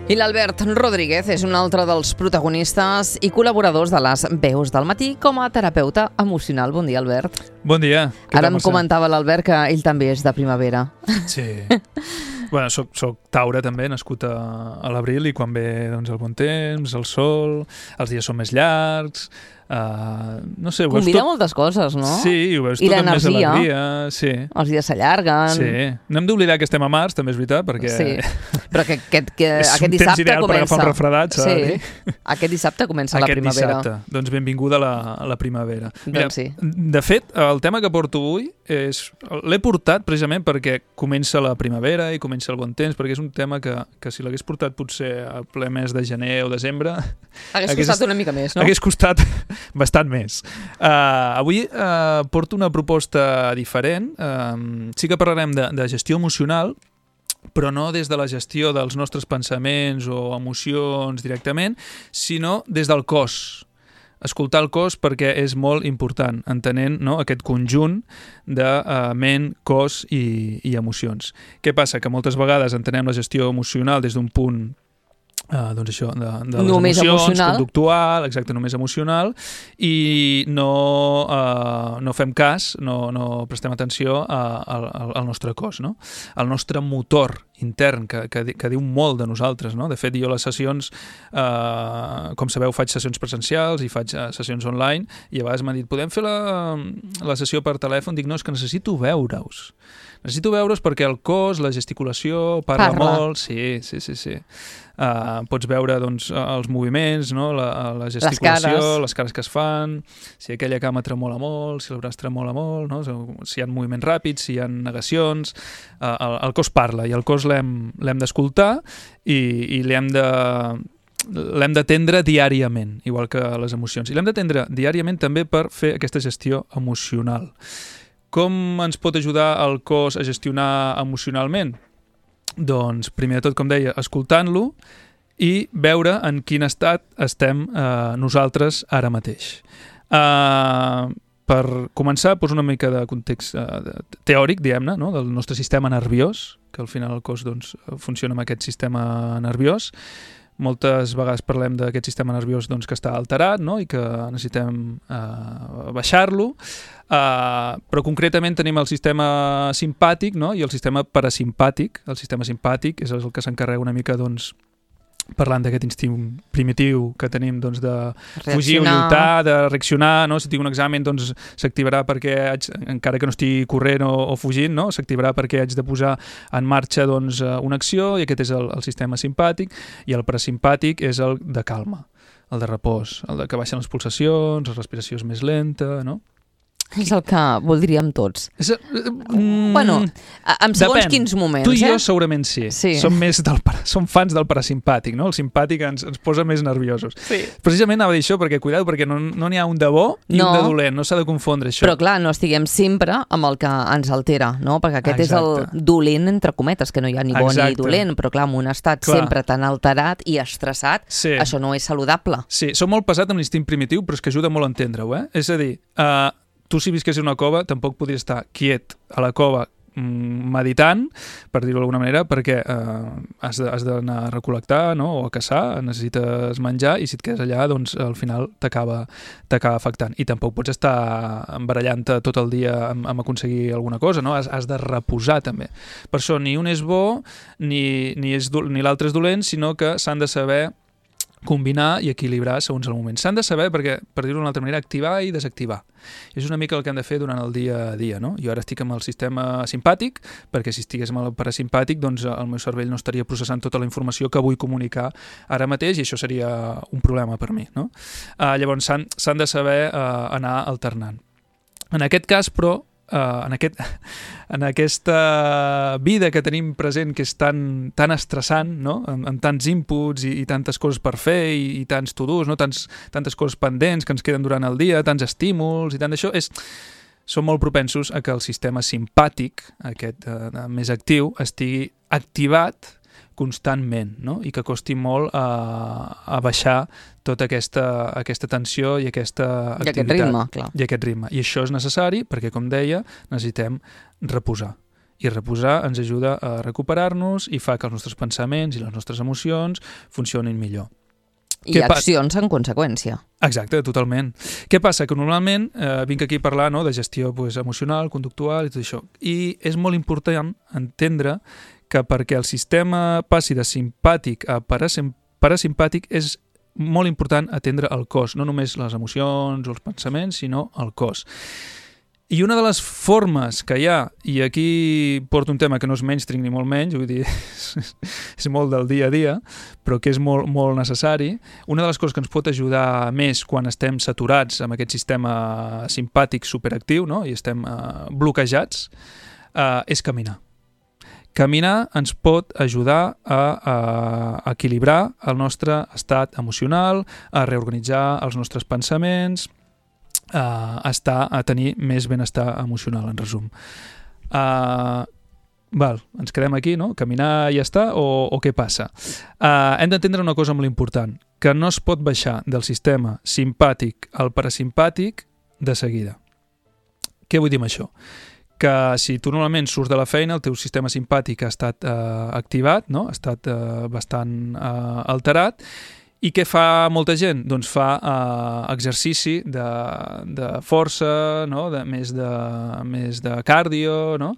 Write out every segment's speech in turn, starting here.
I l'Albert Rodríguez és un altre dels protagonistes i col·laboradors de les Veus del Matí com a terapeuta emocional. Bon dia, Albert. Bon dia. Ara em comentava l'Albert que ell també és de primavera. Sí. Bueno, soc Taure també, nascut a l'abril, i quan ve doncs, el bon temps, el sol, els dies són més llargs... no sé, combina moltes coses, no? Sí, ho veus tot amb més alegria. Sí. Els dies s'allarguen. Sí. No hem d'oblidar que estem a març, també és veritat, perquè... Sí, però que aquest és un temps ideal per agafar un refredat, s'ha de dir. Aquest dissabte comença la primavera. Aquest dissabte, doncs benvinguda a la primavera. Mira, doncs sí. De fet, el tema que porto avui l'he portat precisament perquè comença la primavera i comença el bon temps, perquè és un tema que si l'hagués portat potser a ple mes de gener o desembre... Hagués costat una mica més, no? Hagués costat bastant més. Avui porto una proposta diferent. Sí que parlarem de gestió emocional, però no des de la gestió dels nostres pensaments o emocions directament, sinó des del cos. Escoltar el cos perquè és molt important, entenent, no, aquest conjunt de ment, cos i emocions. Què passa? Que moltes vegades entenem la gestió emocional des d'un punt doncs això, de les només emocions, emocional. Conductual, exacte, només emocional, i no fem cas, no prestem atenció al nostre cos, no? Al nostre motor intern, que diu molt de nosaltres, no? De fet, jo les sessions, com sabeu, faig sessions presencials i faig sessions online, i a vegades m'han dit, podem fer la sessió per telèfon? Dic, no, és que necessito veure-us. Necessito veure-us perquè el cos, la gesticulació, parla molt. Sí. Pots veure doncs, els moviments, no? La gesticulació, les cares que es fan, si aquella cama tremola molt, si el braç tremola molt, no? Si hi ha moviments ràpids, si hi ha negacions. El cos parla i el cos l'hem d'escoltar i l'hem d'atendre diàriament, igual que les emocions. I l'hem d'atendre diàriament també per fer aquesta gestió emocional. Com ens pot ajudar el cos a gestionar emocionalment? Doncs, primer de tot, com deia, escoltant-lo i veure en quin estat estem nosaltres ara mateix. Per començar, poso una mica de context teòric, diguem-ne, no? Del nostre sistema nerviós, que al final el cos doncs, funciona amb aquest sistema nerviós. Moltes vegades parlem d'aquest sistema nerviós doncs, que està alterat, no? I que necessitem baixar-lo, però concretament tenim el sistema simpàtic, no? I el sistema parasimpàtic. El sistema simpàtic és el que s'encarrega una mica doncs, parlant d'aquest instint primitiu que tenim doncs, de fugir o lluitar, de reaccionar, no? Si tinc un examen doncs, s'activarà perquè encara que no estigui corrent o fugint, no? S'activarà perquè haig de posar en marxa doncs, una acció, i aquest és el sistema simpàtic, i el parasimpàtic és el de calma, el de repòs, el de que baixen les pulsacions, la respiració és més lenta, no? És el que voldríem tots. Bueno, en segons quins moments. Tu i jo segurament sí. Som fans del parasimpàtic, no? El simpàtic ens posa més nerviosos. Sí. Precisament anava a dir això, perquè cuidado, perquè no n'hi ha un de bo i un de dolent, no s'ha de confondre això. Però clar, no estiguem sempre amb el que ens altera, no? Perquè aquest és el dolent, entre cometes, que no hi ha ni bo ni dolent, però clar, en un estat sempre tan alterat i estressat, això no és saludable. Sí, som molt pesat amb l'instint primitiu, però és que ajuda molt a entendre-ho, eh? És a dir, tu si visquessis en una cova tampoc podries estar quiet a la cova meditant, per dir-ho d'alguna manera, perquè has d'anar a recol·lectar, no? O a caçar, necessites menjar, i si et quedes allà, doncs al final t'acaba afectant. I tampoc pots estar embarallant-te tot el dia amb aconseguir alguna cosa, no? Has de reposar també. Per això ni un és bo ni l'altre és dolent, sinó que s'han de saber combinar i equilibrar segons el moment. S'han de saber, perquè, per dir-ho d'una altra manera, activar i desactivar. És una mica el que hem de fer durant el dia a dia, no? Jo ara estic amb el sistema simpàtic, perquè si estigués amb el parasimpàtic, doncs el meu cervell no estaria processant tota la informació que vull comunicar ara mateix, i això seria un problema per mi, no? Llavors s'han de saber anar alternant. En aquest cas, però, en aquesta vida que tenim present, que és tan estressant, no? Amb tants inputs i tantes coses per fer i tants to-dos, no? Tantes coses pendents que ens queden durant el dia, tants estímuls i tant d'això, som molt propensos a que el sistema simpàtic, aquest més actiu, estigui activat constantment, no? I que costi molt a baixar tota aquesta tensió i aquesta activitat. I aquest ritme, clar. I aquest ritme. I això és necessari perquè, com deia, necessitem reposar. I reposar ens ajuda a recuperar-nos i fa que els nostres pensaments i les nostres emocions funcionin millor. I accions en conseqüència. Exacte, totalment. Què passa? Que normalment vinc aquí a parlar de gestió emocional, conductual i tot això. I és molt important entendre que perquè el sistema passi de simpàtic a parasimpàtic és molt important atendre el cos, no només les emocions o els pensaments, sinó el cos. I una de les formes que hi ha, i aquí porto un tema que no és mainstream ni molt menys, vull dir, és molt del dia a dia, però que és molt, molt necessari, una de les coses que ens pot ajudar més quan estem saturats amb aquest sistema simpàtic superactiu, no? I estem bloquejats, és caminar. Caminar ens pot ajudar a equilibrar el nostre estat emocional, a reorganitzar els nostres pensaments, a tenir més benestar emocional, en resum. Ens quedem aquí, no? Caminar i ja està, o què passa? Hem d'entendre una cosa molt important, que no es pot baixar del sistema simpàtic al parasimpàtic de seguida. Què vull dir amb això? Que si tu normalment surts de la feina, el teu sistema simpàtic ha estat activat, no? Ha estat bastant alterat. I què fa molta gent? Doncs fa exercici de força, no? Més de càrdio, no?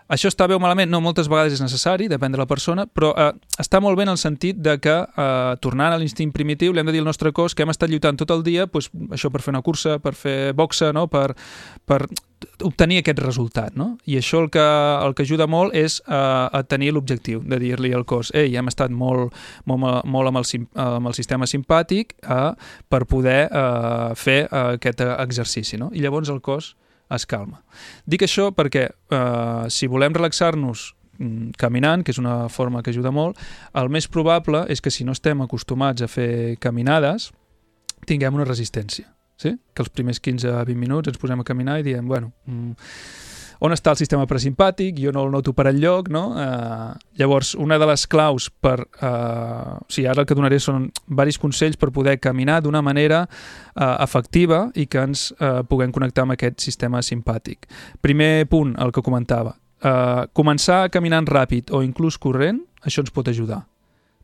Això està bé o malament? No, moltes vegades és necessari, depèn de la persona, però està molt bé en el sentit de que, tornant a l'instint primitiu, li hem de dir al nostre cos que hem estat lluitant tot el dia, doncs, això per fer una cursa, per fer boxa, no? Per obtenir aquest resultat, no? I això el que ajuda molt és a tenir l'objectiu de dir-li al cos hem estat molt amb el sistema simpàtic per poder fer aquest exercici, no? I llavors el cos es calma. Dic això perquè si volem relaxar-nos caminant, que és una forma que ajuda molt, el més probable és que si no estem acostumats a fer caminades, tinguem una resistència. Sí? Que els primers 15-20 minuts ens posem a caminar i diem, on està el sistema parasimpàtic? Jo no el noto per enlloc, no? Llavors, una de les claus ara el que donaré són diversos consells per poder caminar d'una manera efectiva i que ens puguem connectar amb aquest sistema simpàtic. Primer punt, el que comentava. Començar caminant ràpid o inclús corrent, això ens pot ajudar.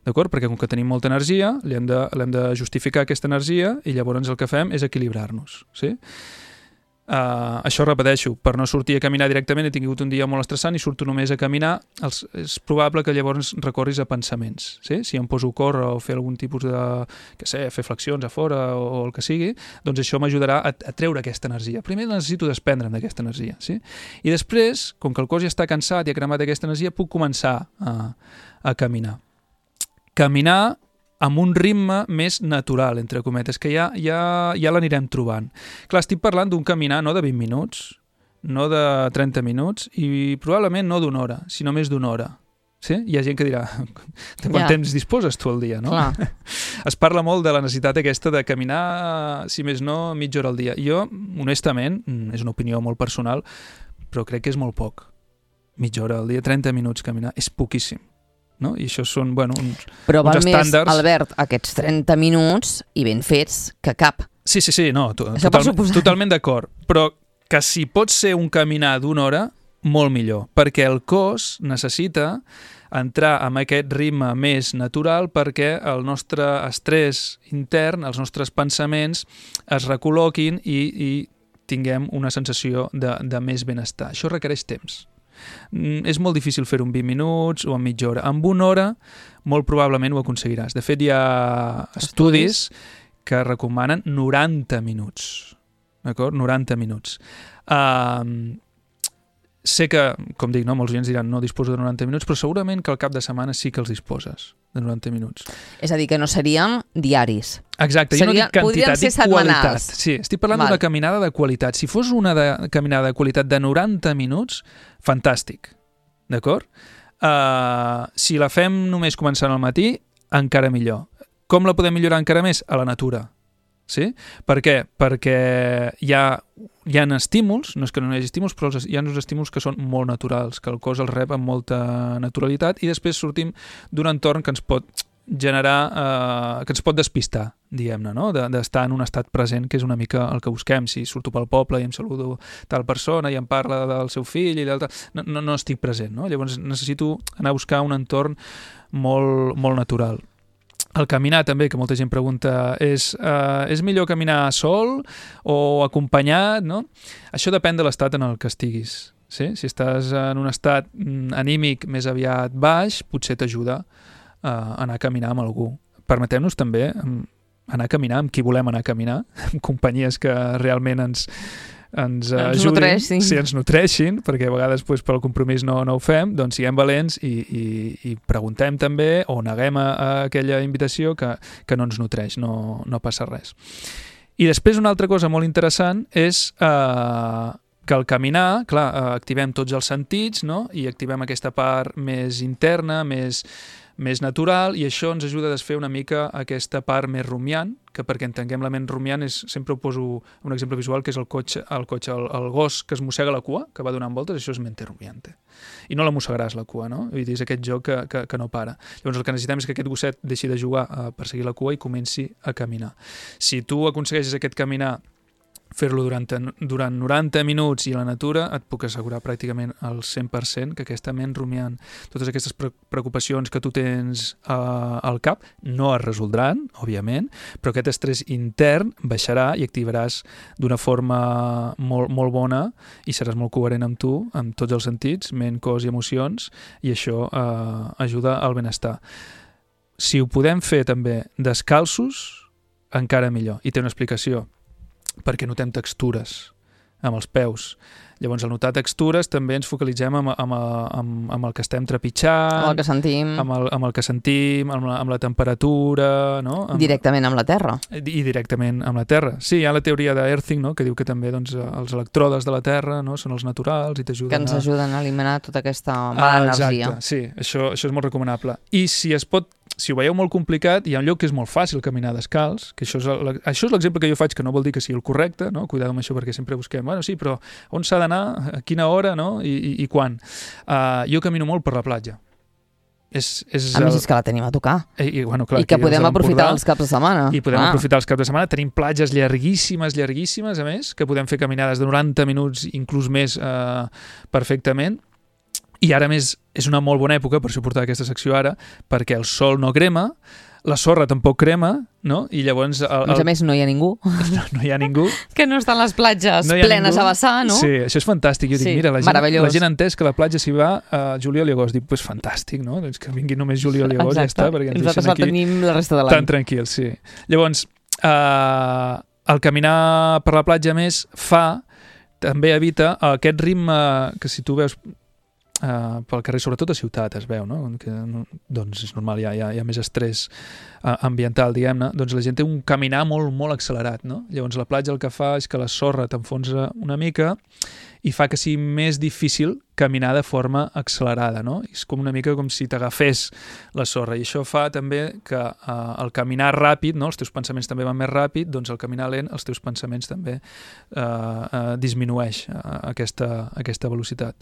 D'acord? Perquè com que tenim molta energia, l'hem de justificar aquesta energia i llavors el que fem és equilibrar-nos. Sí? Això repeteixo, per no sortir a caminar directament he tingut un dia molt estressant i surto només a caminar, és probable que llavors recorris a pensaments. Sí? Si em poso a córrer o fer algun tipus de, fer flexions a fora o el que sigui, doncs això m'ajudarà a treure aquesta energia. Primer necessito desprendre'm d'aquesta energia. Sí? I després, com que el cos ja està cansat i ha cremat aquesta energia, puc començar a caminar. Caminar amb un ritme més natural, entre cometes, que ja l'anirem trobant. Clar, estic parlant d'un caminar no de 20 minuts, no de 30 minuts i probablement no d'una hora, sinó més d'una hora. Sí? Hi ha gent que dirà, de quant temps disposes tu al dia, no? Clar. Es parla molt de la necessitat aquesta de caminar, si més no, mitja hora al dia. Jo, honestament, és una opinió molt personal, però crec que és molt poc. Mitja hora al dia, 30 minuts caminar, és poquíssim. No? I això són, uns estàndards. Però val més, Albert, aquests 30 minuts i ben fets que cap. Sí, no, totalment d'acord. Però que si pot ser un caminar d'una hora, molt millor, perquè el cos necessita entrar en aquest ritme més natural perquè el nostre estrès intern, els nostres pensaments es recol·loquin i tinguem una sensació de més benestar. Això requereix temps. És molt difícil fer-ho en 20 minuts o en mitja hora. En una hora molt probablement ho aconseguiràs. De fet, hi ha estudis que recomanen 90 minuts. D'acord? 90 minuts. Sé que, com dic, molts oients diran no disposo de 90 minuts, però segurament que al cap de setmana sí que els disposes de 90 minuts. És a dir, que no serien diaris. Exacte, jo no dic quantitat, dic qualitat. Sí, estic parlant d'una caminada de qualitat. Si fos una caminada de qualitat de 90 minuts, fantàstic. D'acord? Si la fem només començant al matí, encara millor. Com la podem millorar encara més? A la natura. Sí? Per què? Perquè hi ha estímuls, no és que no hi hagi estímuls, però hi ha uns estímuls que són molt naturals, que el cos els rep amb molta naturalitat i després sortim d'un entorn que ens pot generar, que ens pot despistar, diguem-ne, no? D'estar en un estat present, que és una mica el que busquem. Si surto pel poble i em saludo tal persona i em parla del seu fill i d'altre, no estic present, no? Llavors necessito anar a buscar un entorn molt, molt natural. El caminar també, que molta gent pregunta, és millor caminar sol o acompanyat, no? Això depèn de l'estat en el que estiguis. Sí? Si estàs en un estat anímic més aviat baix, potser t'ajuda a anar a caminar amb algú. Permetem-nos també anar a caminar amb qui volem anar a caminar, amb companyies que realment ens ajudin, ens nodreixin, perquè a vegades pel compromís no ho fem, doncs siguem valents i preguntem també o neguem a aquella invitació que no ens nodreix, no passa res. I després una altra cosa molt interessant és que al caminar, clar, activem tots els sentits, no? I activem aquesta part més interna, més natural, i això ens ajuda a desfer una mica aquesta part més rumiant, que perquè entenguem la ment rumiant sempre ho poso un exemple visual, que és el gos que es mossega la cua, que va donant voltes, això és mente rumiante. I no la mossegaràs la cua, no? Vull dir, és aquest joc que no para. Llavors el que necessitem és que aquest gosset deixi de jugar a perseguir la cua i comenci a caminar. Si tu aconsegueixes aquest caminar, fer-lo durant 90 minuts i a la natura, et puc assegurar pràcticament al 100% que aquesta ment rumiant, totes aquestes preocupacions que tu tens al cap, no es resoldran, òbviament, però aquest estrès intern baixarà i activaràs d'una forma molt, molt bona i seràs molt coherent amb tu, amb tots els sentits, ment, cos i emocions, i això ajuda al benestar. Si ho podem fer també descalços, encara millor. I té una explicació, perquè notem textures amb els peus. Llavors, al notar textures també ens focalitzem amb el que estem trepitjant, amb el que sentim, amb el que sentim, amb la temperatura, no? Directament amb la terra. I directament amb la terra. Sí, hi ha la teoria d'Earthing, no? Que diu que també els electrodes de la terra, no? Són els naturals i t'ajuden que ens ajuden a eliminar tota aquesta mala energia. Exacte, sí, això és molt recomanable. I si ho veieu molt complicat, hi ha un lloc que és molt fàcil caminar descalç, que això és l'exemple que jo faig, que no vol dir que sigui el correcte, no? Cuidado amb això, perquè sempre busquem, bueno, sí, però on s'ha d'anar, a quina hora, no? I quan? Jo camino molt per la platja. A més, és que la tenim a tocar. Bueno, clar, I que podem aprofitar els caps de setmana. I podem aprofitar els caps de setmana. Tenim platges llarguíssimes, a més, que podem fer caminades de 90 minuts, inclús més, perfectament. I ara més és una molt bona època per suportar aquesta secció ara, perquè el sol no crema, la sorra tampoc crema, no? I llavors... A més, no hi ha ningú. No hi ha ningú. Que no estan les platges plenes a vessar, no? Sí, això és fantàstic. Jo dic, mira, la gent ha entès que la platja s'hi va a juliol i agost. Dic, pues fantàstic, no? Doncs que vingui només juliol i agost, ja està, perquè ens deixen aquí tenim la resta de l'any. Tan tranquils, sí. Llavors, el caminar per la platja més també evita aquest ritme que si tu veus pel carrer, sobretot a ciutat es veu, no? Que, doncs és normal, hi ha més estrès ambiental, diguem-ne, doncs la gent té un caminar molt, molt accelerat, no? Llavors la platja el que fa és que la sorra t'enfonsa una mica i fa que sigui més difícil caminar de forma accelerada, no? És com una mica com si t'agafés la sorra, i això fa també que el caminar ràpid, no? Els teus pensaments també van més ràpid, doncs el caminar lent, els teus pensaments també disminueix aquesta velocitat.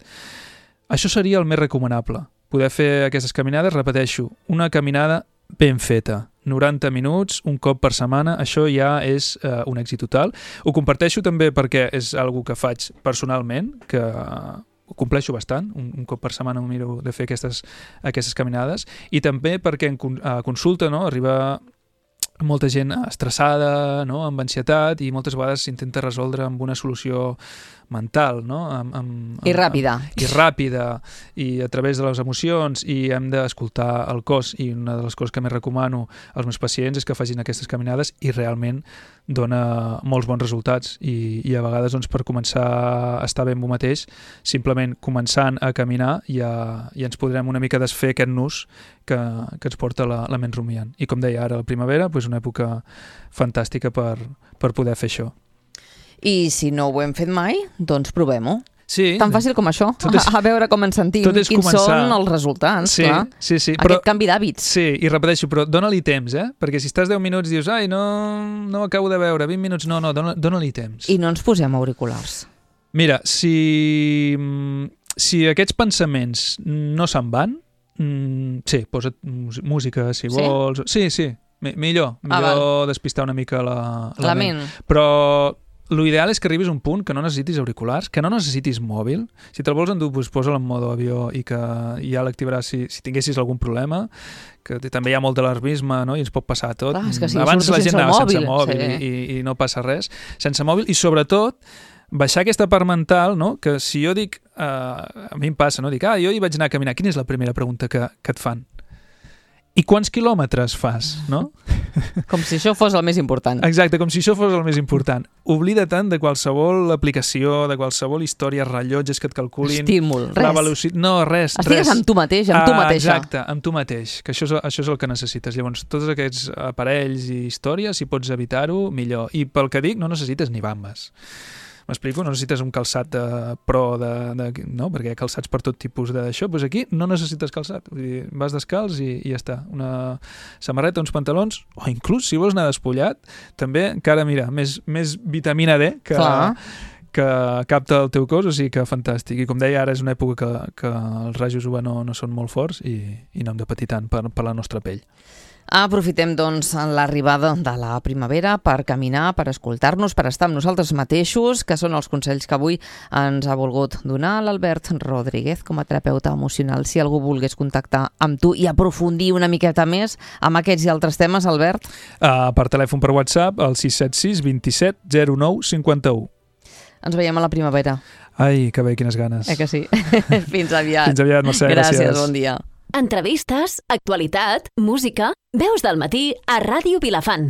Això seria el més recomanable, poder fer aquestes caminades, repeteixo, una caminada ben feta, 90 minuts, un cop per setmana, això ja és un èxit total. Ho comparteixo també perquè és algo que faig personalment, que ho compleixo bastant, un cop per setmana em miro de fer aquestes caminades, i també perquè a consulta, no, arriba molta gent estressada, no? Amb ansietat, i moltes vegades s'intenta resoldre amb una solució mental, no? I ràpida. I a través de les emocions, i hem d'escoltar el cos, i una de les coses que més recomano als meus pacients és que facin aquestes caminades, i realment dona molts bons resultats, i a vegades doncs, per començar a estar bé amb un mateix, simplement començant a caminar ja ens podrem una mica desfer aquest nus que ens porta la ment rumiant. I com deia ara, la primavera, doncs una època fantàstica per poder fer això. I si no ho hem fet mai, doncs provem-ho. Sí. Tan fàcil com això, a veure com ens sentim, quins són els resultats, clar. Sí. Aquest canvi d'hàbits. Sí, i repeteixo, però dona-li temps, perquè si estàs 10 minuts i dius, ai, no ho acabo de veure, 20 minuts, no, dona-li temps. I no ens posem auriculars. Mira, si aquests pensaments no se'n van, Sí, posa't música, si vols... Sí. Millor despistar una mica la ment. Però l'ideal és que arribis a un punt que no necessitis auriculars, que no necessitis mòbil. Si te'l vols endur, posa-l en modo avió i que ja l'activaràs si tinguessis algun problema, que també hi ha molt d'alarmisme, no? I ens pot passar tot. Clar, és que si abans la gent anava sense mòbil sí. I no passa res. Sense mòbil i sobretot baixar aquesta part mental, no? Que si jo dic, a mi em passa, no? Dic, jo hi vaig anar a caminar. Quina és la primera pregunta que et fan? I quants quilòmetres fas, no? Com si això fos el més important. Exacte, com si això fos el més important. Oblida tant de qualsevol aplicació, de qualsevol història, rellotges que et calculin... Estímul, res. No, res. Estigues amb tu mateix, amb tu mateixa. Exacte, amb tu mateix, que això és el que necessites. Llavors, tots aquests aparells i històries, si pots evitar-ho, millor. I pel que dic, no necessites ni bambes. M'explico? No necessites un calçat pro, no? Perquè hi ha calçats per tot tipus d'això. Doncs aquí no necessites calçat. Vull dir, vas descalç i ja està. Una samarreta, uns pantalons, o inclús, si vols anar despullat, també encara, mira, més vitamina D que capta el teu cos, o sigui que fantàstic. I com deia, ara és una època que els rajos UV no són molt forts i no hem de patir tant per la nostra pell. Aprofitem, doncs, l'arribada de la primavera per caminar, per escoltar-nos, per estar amb nosaltres mateixos, que són els consells que avui ens ha volgut donar l'Albert Rodríguez com a terapeuta emocional. Si algú volgués contactar amb tu i aprofundir una miqueta més amb aquests i altres temes, Albert? Per telèfon per WhatsApp, al 676 27 09 51. Ens veiem a la primavera. Ai, que bé, quines ganes. Que sí? Fins aviat. Fins aviat, Mercè, gràcies. Bon dia. Entrevistes, actualitat, música, veus del matí a Ràdio Vilafant.